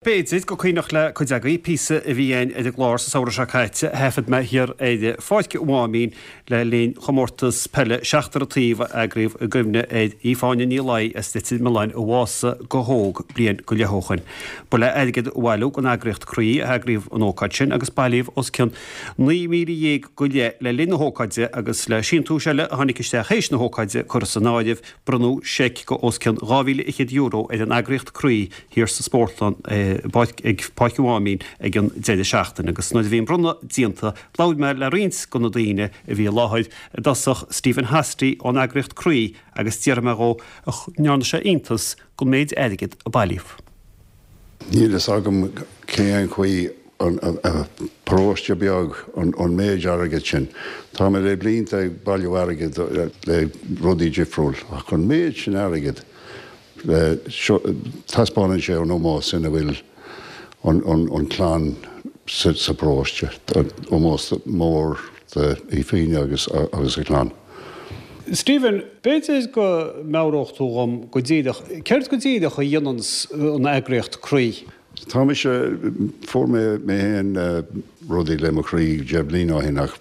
B'fhéidir gur cuimhneach le cuid agaibh píosa a bhí againn ar an gclár sa samhradh seo caite a thaifead mé thiar ar Pháirc an Mháimín le linn chomórtas peile seachtar an taobh a eagraíodh i gcuimhne ar Aoibh-Áine Ní Laoi as Leitir Mealláin a bhásaigh go hóg bliain go leith ó shoin. Ba le airgead a bhailiú don eagraíocht Croí a heagraíodh an ócáid sin agus bailíodh os cionn 19,000 go leith le linn na hócáide agus le síntiúis eile a tháinig isteach théis na hócáide curtha san áireamh Bronnadh seic go os cionn €2,100 ar an eagraíocht Croí thiar sa spórtlann ag Páirc an Mháimín ag an deireadh seachtaine agus nuair a bhí an bronnadh déanta labhair mé le roinnt de na daoine a bhí i láthair, i dtosach Stephen Hosty ón eagraíocht Croí agus d'fhiafraigh mé dhó an ndearna sé iontas den méid airgid a bailíodh. Níl fhios agam cén chaoi an paróiste beag an méid airgid sin. Tá mé le blianta ag bailiú airgid le rudaí difriúil ach an méid sin airgid taispeánann sé an ómós ina bhfuil an clann sa bparóiste, ómós mór d'Aoibh agus agus a clann. Stephen, b'fhéidir go meabhródh tú dhom go díreach, céard go díreach a dhéananns an eagraíocht Croí? Tá mise, fuair mé mé féin rudaí le mo chroí 10 bliana ó shin ach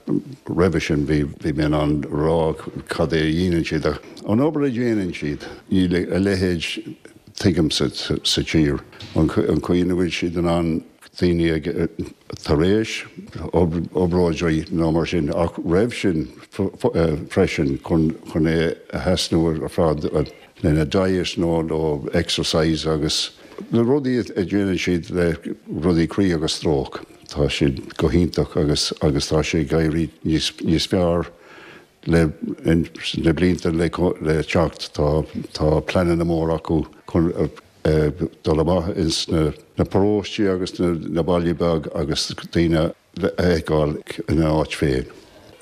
roimhe sin bhí bhí mé in ann rá cad é a dhéanann siad ach an obair a dhéanann siad, níl a leithéid tuigim sa sa tír, an chaoi ina bhfuil siad in ann daoine ag tar éis obráidí nó mar sin ach roimh sin freisin chun chun é a thrasnú ar fad lena diet nó nó exercise agus na rudaí a dhéanann siad le rudaí croí agus stróc tá siad go hiontach agus agus tá sé ag éirí níos níos fearr le na blianta le le teacht tá tá pleananna mór acu chun dul amach ins na paróistí agus na bailí beag agus daoine a fheiceáil ina áit féin.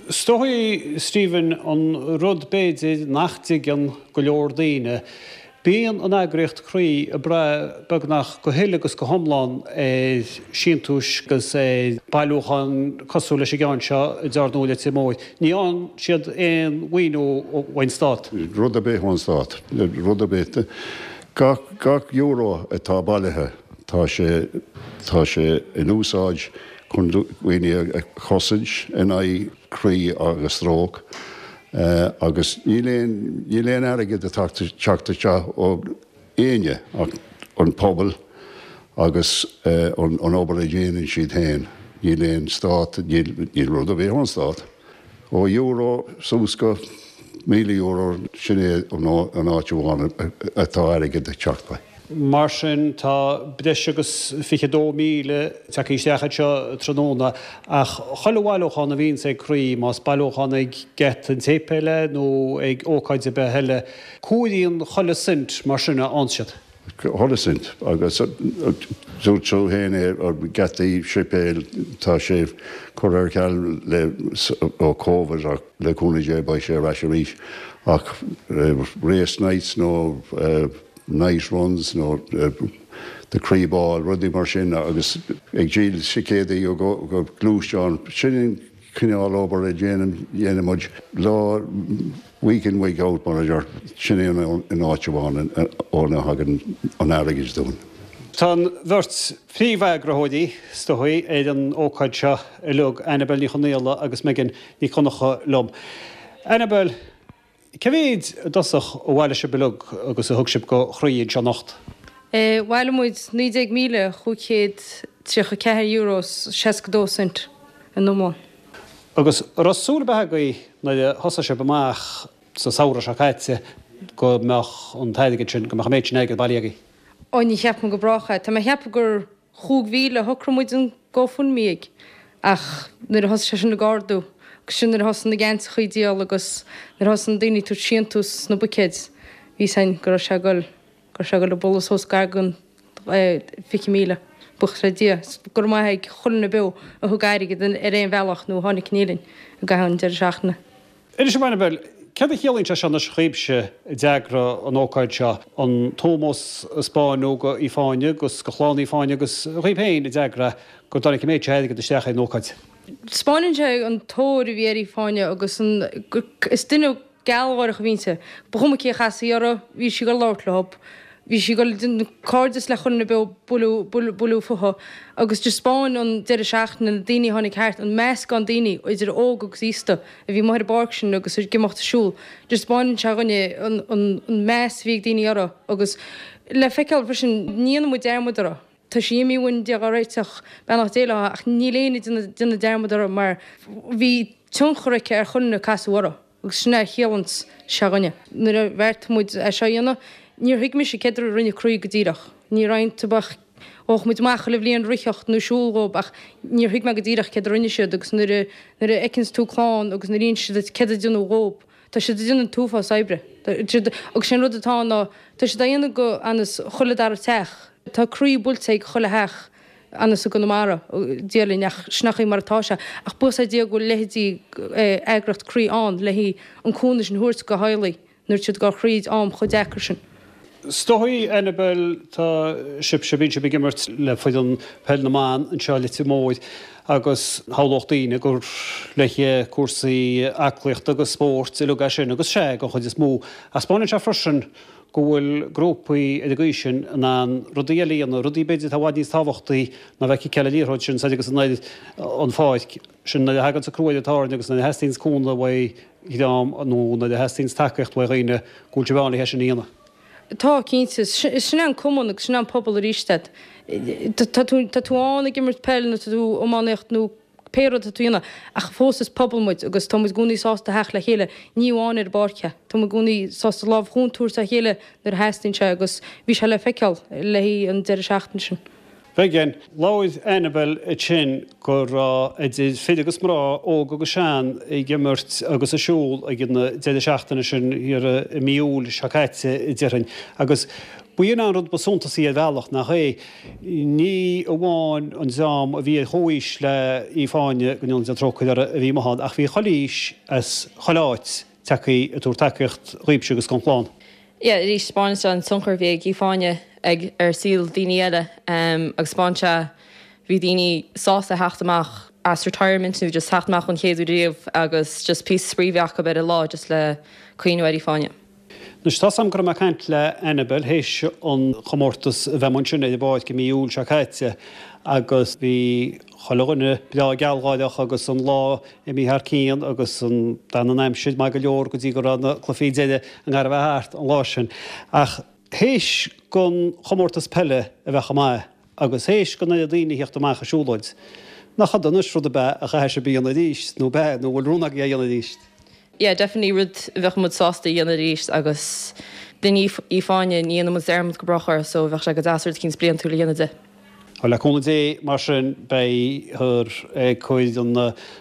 Is dóigh, Stephen, an rud b'fhéidir nach dtuigeann go leor daoine, bíonn an eagraíocht Croí ag brath beagnach go huile agus go hiomlán ar síntiúis agus ar bailiúcháin cosúil leis an gceann seo i dTear Nua Leitir Móir. Ní fhaigheann siad aon mhaoiniú ón stát. Rud ar bith ón stát. Rud ar bith. Gach, gach euro atá bailithe, tá sé, tá sé in úsáid chun daoine a chosaint in aghaidh croí agus stróc agus níl aon, níl aon airgead ag teacht isteach ó éinne ach an pobal agus an obair a dhéanann siad féin. Níl aon stát, níl, níl rud ar bith ón stát. Ó euro suas go €1,000, sin é an áit amháin atá airgead ag teacht uaidh. Mar sin, tá breis agus 22,000 tagtha isteach anseo tráthnóna, ach chuile bhailiúchán a bhíonns ag Croí, más bailiúchán ag geata an tséipéil é nó ag ócáid ar bith eile, cumhraíonn chuile cent mar sin a fhaigheann siad. Chuile cent, agus dúirt tú féin é, geataí séipéil, tá sé curtha ar ceal le ó Covid ach le cúnamh Dé beidh sé ar ais arís. Ach race nights nó night runs nó the Croí Ball, rudaí mar sin agus ag díol ticéadaí go gluaisteán, sin an cineál obair a dhéanann muid lá week in week out mar a deir, sin é an áit amháin óna thagann an airgead dúinn. Tá an bheirt phríomheagraitheoirí, is dóigh, ar an ócáid seo uilig, Annabel Ní Chonaola agus Megan Nic Dhonncha liom. Annabel, cé mhéid i dtosach a bhailigh sibh uilig agus a thug sibh go Croí anseo anocht? Bhailigh muid €19,534 is 62 cent in iomlán. Agus an raibh súil ar bith agaibh nuair a thosaigh sibh amach sa samhradh seo caite go mbeadh an t-airgead sin, go mbeadh an méid sin airgid bailithe agaibh? Ó ní cheap mé go brách é. Tá mé ag ceapadh gur 5,000 a shocraigh muid an GoFundMe ag ach nuair a thosaigh sé sin ag ardú agus sin nuair a thosaigh na geansachaí ag díol agus nuair a thosaigh na daoine ag tabhairt síntiús sna buicéid bhí a fhios againn go raibh sé ag dul go raibh sé ag dul ag bualadh suas gar don 20,000. Buíochas le Dia. Go raibh maith ag chuile dhuine beo a thug airgead ar aon bhealach nó a tháinig chun linn i gcaitheamh an deireadh seachtaine. Inis dom, Annabel, céard a chiallaíonn sé seo anois dhaoibhse a d'eagraigh an ócáid seo, an t-ómós a 'spáineadh go Aoife Áine agus go chlann Aoife Áine agus dhaoibh féin a d'eagraigh go dtáinig an méid seo airgid isteach ar an ócáid? 'Spáineann sé an tóir a bhí ar Aoife Áine agus an, is duine gealgháireach a bhí inti. Ba chuma cé a chasfaí uirthi, bhí sí ag dul labhairt leo. Bhí sí ag dul ag déanamh cairdeas le chuile dhuine beo bualadh, bualadh, bualadh futhu agus d'thaispeáin an deireadh seachtaine na daoine a tháinig thart, an meascán daoine, idir óg agus aosta, a bhí amuigh ar an bpáirc sin agus ag imeacht ag siúl. D'thaispeáin sé dhuine an, an, an meas a bhí ag daoine orthu agus le feiceáil freisin, ní dhéanann muid dearmad orthu. Tá sí imithe uainn Dia dhá réiteach, beannacht Dé léi, ach níl éinne ag déanamh dearmad uirthi mar bhí tionchar aici ar chuile dhuine a casadh uirthi agus sin é a chiallanns sé dhuine. Nuair a bheartaigh muid é seo a dhéanamh, níor thuig mise céard a rinne Croí go díreach. Ní roinnt ach ghabhadh muid amach chuile bhliain ritheacht nó siúl dhób ach níor thuig mé go díreach céard a rinne siad agus nuair a nuair a fheiceanns tú clann agus nuair a insíonn siad duit céard a déanadh dhób, tá siad ag déanamh an t-uafás oibre. Tá siad agus sé an rud atá ann ná tá siad á dhéanamh go anas chuile dara teach. Tá croí buailte ag chuile theach anas i gConamara, Dia linn, ach sin é mar atá sé. Ach buíochas le Dia go bhfuil leithéidí eagraíocht Croí ann le haghaidh an cúnamh sin a thabhairt go theaghlaigh nuair atá siad ag dul thríd am chomh deacair sin. Is dóigh, Annabel, tá sibhse, bíonn sibh ag imirt le foireann peil na mban anseo i Leitir Móir agus shamhlódh daoine gur le haghaidh cúrsaí aclaíochta agus spóirt uilig é sin agus sea, den chuid is mó. Ach 'spáineann sé freisin go bhfuil grúpaí ar an gcaoi sin in ann rudaí eile a dhéanamh, rudaí b'fhéidir atá i bhfad níos tábhachtaí ná bheith ag ciceáil an liathróid sin soir agus anoir an pháirc. Sin nuair a thaganns an crú ar an tairne agus nuair a theastaíonns cúnamh uaidh dhream nó nuair a theastaíonns tacaíocht uaidh dhaoine go bhfuil sibh ann le hé sin a dhéanamh. Tá, cinnte. Sin é an cumann agus sin é an pobal arís. Tá tú tá tú ann ag imirt peil nó tá tú iománaíocht nó pé rud atá tú a dhéanamh, ach fós is pobal muid agus tá muid i gcónaí sásta theacht le chéile, ní amháin ar an bpáirc é, tá muid i gcónaí sásta lámh chúnta a thabhairt dá chéile nuair a theastaíonn sé agus bhí sé le feiceáil le haghaidh an deireadh seachtaine sin. Bheidh. Labhair Annabel ansin go raibh idir fir agus mná, óg agus sean, ag imirt agus ag siúl ag an deireadh seachtaine sin thiar i mí Iúil seo caite, déarfainn. Agus b'in an rud ba suntasaí ar bhealach, nach é? Ní amháin an dream a bhí ar chomhaois le Aoife Áine, go ndéana Dia trócaire uirthi, a bhí amuigh ann, ach bhí chuile aois as chuile áit tagtha ag tabhairt tacaíocht dhaoibhse agus don chlann. Yeah, arís, 'spáineann sé an tionchar a bhí ag Aoife Áine ag ar saol daoine eile agus 'spáineann sé bhí daoine sásta theacht amach as retirement nó just theacht amach don chéad uair riamh agus just píosa spraoi a bheith acu ar an lá just le cuimhniú ar Aoife Áine. Anois, tá's a'm go raibh mé ag caint le Annabel théis an chomórtas a bheith amuigh ansin ar an bpáirc i mí Iúil seo caite agus bhí chuile dhuine breá gealgháireach agus an lá imithe thar cionn agus an d'fhan an aimsir maith go leor go dtí go raibh na cluichí deiridh i ngar a bheith thart an lá sin. Ach théis don chomórtas peile a bheith chomh maith agus théis don oiread daoine a theacht amach ag siúlóid, nach ionadh anois rud ab ea a chaithfidh sibh a dhéanamh arís nó ab ea nó an bhfuil rún agaibh é a dhéanamh arís? Yeah, definitely rud a bheadh muid sásta a dhéanamh arís agus duine Aoife Áine, ní dhéanann muid dearmad go brách uirthi so bheadh sé go deas rud eicínt bliantúil a dhéanamh di. Bhuel, le cúnamh Dé, mar sin, beifear ag cur an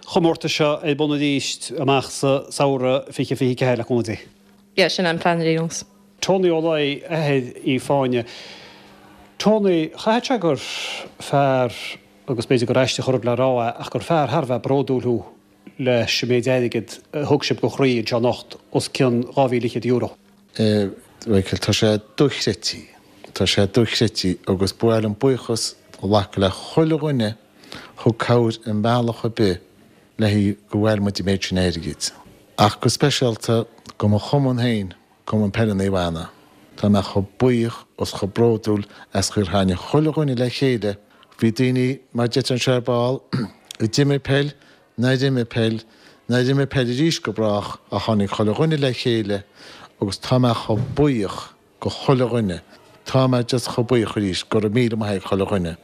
chomórtais seo ar bun arís amach sa samhradh 2024, le cúnamh Dé. Yeah, sin an plean ar aon nós. Tony Ó Laoi, athair Aoife Áine. Tony, chaithfeadh sé gur fear, agus b'fhéidir gur aisteach an rud le rá é, ach gur fear thar a bheith bródúil thú leis an méid airgid a thug sibh do Chroí anseo anocht, os cionn €2,000. A Mhichael, tá sé dochreidte. Tá sé dochreidte agus ba mhaith liom buíochas a ghlacadh le chuile dhuine thug cabhair i mbealach ar bith le haghaidh go bhfuair muid an méid sin airgid. Ach go speisialta go mo chumann féin, Cumann Peile Naomh Anna. Tá mé chomh buíoch is chomh bródúil as chaoi ar tháinig chuile dhuine le chéile. Bhí daoine, mar deirtear anseo ar ball, a d'imir peil, nár imir peil, nár imir peil arís go brách ach tháinig chuile dhuine le chéile agus tá mé chomh buíoch go chuile dhuine, tá mé just chomh buíoch arís, go raibh míle maith ag chuile dhuine.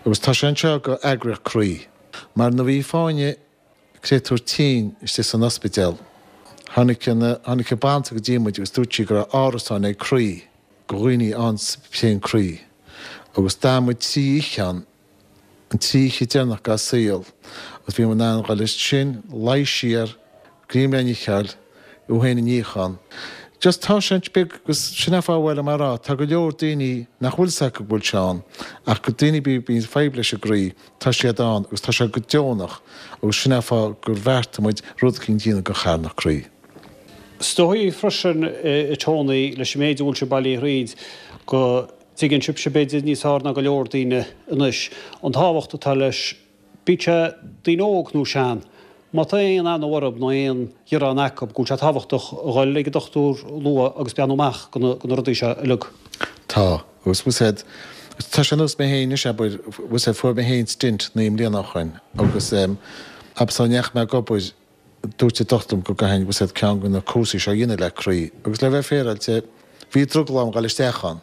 Agus tá sé anseo go eagraíocht Croí. Mar nuair a bhí Fáinne créatúr tinn istigh san ospidéal, tháinig an, tháinig an bhanaltra go dtí muid agus dúirt sí go raibh árasán ag Croí go dhaoine ann sa bpian croí agus d'fhan muid trí oíche ann an trí oíche deireanach dá saol agus bhí muid in ann dhul ansin, luí siar, greim le n-ithe, í féin a níochán. Just tá sé beag agus sin an fáth a bhfuil mé a rá, tá go leor daoine nach bhfuil 's acu go bhfuil sé ann ach go daoine a bíonn fadhb leis an gcroí, tá siad ann agus tá sé go deonach agus sin an fáth gur bheartaigh muid rud eicínt a dhéanamh go charthanacht Croí. Is dóigh freisin, a Tony, leis an méid a bhfuil sibh bailithe thríd, go dtuigeann sibhse b'fhéidir níos fearr ná go leor daoine anois an tábhacht atá leis, bíodh sé daoine óg nó sean, má tá aon anó orthu nó aon ghearán acu, go bhfuil sé tábhachtach a dhul ag an dochtúir luath agus breathnú amach do na rudaí seo uilig. Tá. Tá. Agus bhfuil 's a'd, tá sé ar nós mé féin anois, abair, bhfuil 's a'd, fuair mé féin stint 9 mbliana ó shoin agus abair sula ndeachaigh mé ag obair, dúirt an dochtúir liom go gcaithfinn, bhfuil 's a'd, ceann de na cúrsaí seo a dhéanamh le croí. Agus le bheith féaráilte, bhí drogall orm dhul isteach ann.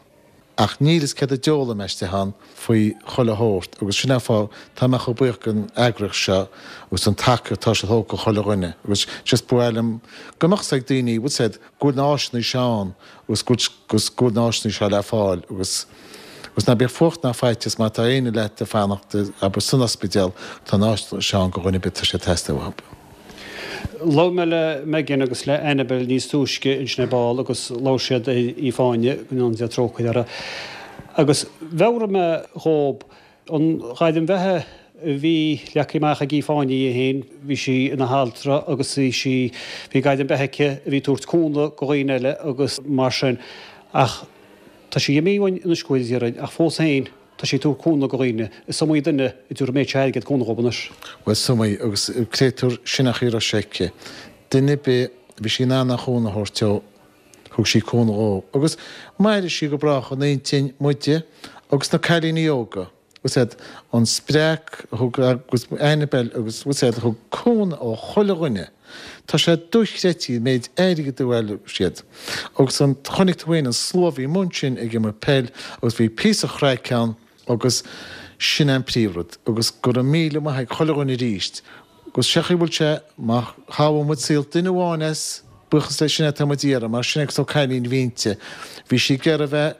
Ach níl fhios céard a d'fhoghlaim mé istigh ann faoi chuile shórt agus sin é an fáth tá mé chomh buíoch den eagraíocht seo agus don tacaíocht atá siad thógtha chuile dhuine agus just ba mhaith liom go mbeadh 's ag daoine, bhfuil 's a'd, go bhfuil na áiseanna seo ann agus go bhfuil go bhfuil na áiseanna seo le fáil agus agus ná bíodh fuacht ná faitíos má tá éinne leat ag fanacht abair san ospidéal tá na áiseanna seo ann go dhuine ar bith tá sé ag teastáil uathu. Labhair mé le Megan agus le Annabel níos túisce ansin ar ball agus labhair siad ar Aoife Áine, go ndéana Dia trócaire uirthi. Agus mheabhraigh mé dhób an ghairm bheatha a bhí leagtha amach ag Aoife Áine í féin, bhí sí ina haltra agus bhí sí, bhí gairm beatha aici a bhí ag tabhairt cúnamh go dhaoine eile agus mar sin. Ach tá sí imithe uainn anois go bhfóire Dia orainn ach fós féin, Tá sí ag tabhairt cúnamh go dhaoine. Is iomaí duine a dtabharfaidh an méid seo airgid cúnamh dhóibh anois. Bhuel, is iomaí, agus créatúr, sin an chaoi a raibh sé aici. Duine ar bith a bhí sí in ann aon chúnamh a thabhairt dó, thug sí cúnamh dhó. Agus mairfidh sí go brách in intinn muide agus na cailíní óga. Bhfuil 's a'd, an spreac a thug agus Annabel agus bhfuil 's a'd, thug cúnamh ó chuile dhuine. Tá sé dochreidte an méid airgid a bhailigh siad. Agus an, chonaic tú féin an slua a bhí amuigh ansin ag imirt peil agus bhí píosa chraic ann agus sin é an príomhrud. Agus go raibh míle maith ag chuile dhuine arís. Agus sé an chaoi a bhfuil sé, má shábháil muid saol duine amháin as, buíochas le sin é atá muid a iarraidh, mar sin é agus cailín a bhí inti. Bhí sí ag iarraidh a bheith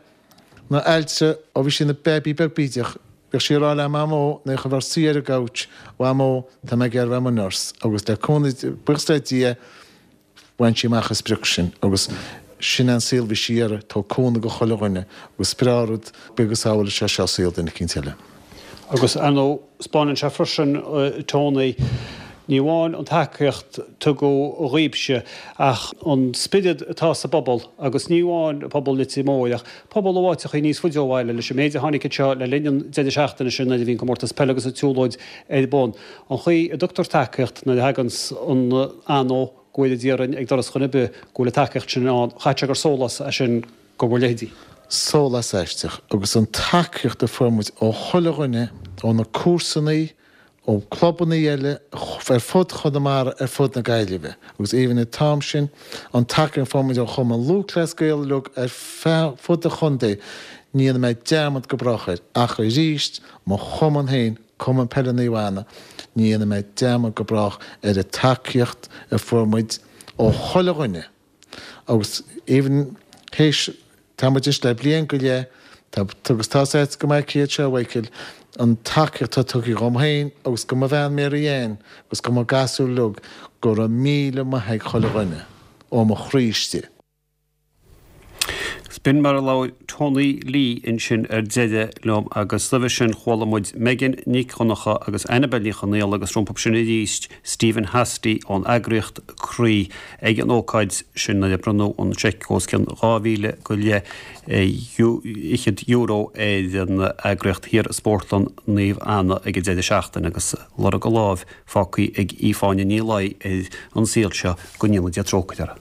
ina altra ó bhí sí ina baby beag bídeach. Bhíodh sí ag rá le Mamó nuair a bheadh suí ar an gcouch, Mhamó, tá mé ag iarraidh a bheith i mo nurse. Agus le cúnamh, buíochas le Dia, bhain sí amach an sprioc sin. Agus sin é an saol a bhí sí ag iarraidh, tabhairt cúnamh go chuile dhuine. Agus is breá rud beag a shábháil sé seo saol duine eicínt eile. Agus ar ndóigh, 'spáineann sé freisin, Tony, ní amháin an tacaíocht tugadh dhaoibhse, ach an spiorad atá sa bpobal, agus ní amháin pobal Leitir Móir, ach pobal ó áiteachaí níos faide ó bhaile, leis an méid a tháinig anseo le linn an deireadh seachtaine sin nuair a bhí an comórtas peile agus an tsiúlóid ar bun. An chaoi a dtugtar tacaíocht nuair a thaganns an anó, go bhfóire Dia orainn, ag doras dhuine ar bith, go bhfuil an tacaíocht sin ann, chaithfeadh sé gur sólás é sin go bhur leithéidí. Sólás aisteach agus an tacaíocht a fuair muid ó chuile dhuine, ó na comharsanaí, ó clubannaí eile ar fud Chonamara, ar fud na Gaillimhe agus even an t-am sin, an tacaíocht a fuair muid ó Chumann Lúthchleas Gael uilig ar fud an chontae, ní dhéanfaidh mé dearmad go brách air. Ach arís, mo chumann féin, Cumann Peile Naomh Anna, ní dhéanfaidh mé dearmad go brách ar an tacaíocht a fuair muid ó chuile dhuine. Agus even théis, tá muid anois le bliain go leith, tá, agus tá's agat go maith céard seo, a Mhichael, an tacaíocht atá tugtha dhom féin agus go mo bhean Mary Ann agus go mo gasúir uilig, go raibh míle maith ag chuile dhuine, ó mo chroí istigh. B'in mar a labhair Tony Lee ansin ar deireadh liom agus roimhe sin chuala muid Megan Nic Dhonncha agus Annabel Ní Chonaola agus rompu sin arís Stephen Hosty ón eagraíocht Croí ag an ócáid sin nuair a bronnadh an seic os cionn 2,000 go leith fhichead euro ar an eagraíocht thiar i Spórtlann Naomh Anna ag an deireadh seachtaine agus lorg a lámh fágtha ag Aoife Áine Ní Laoi ar an saol seo go ndéana Dia trócaire uirthi.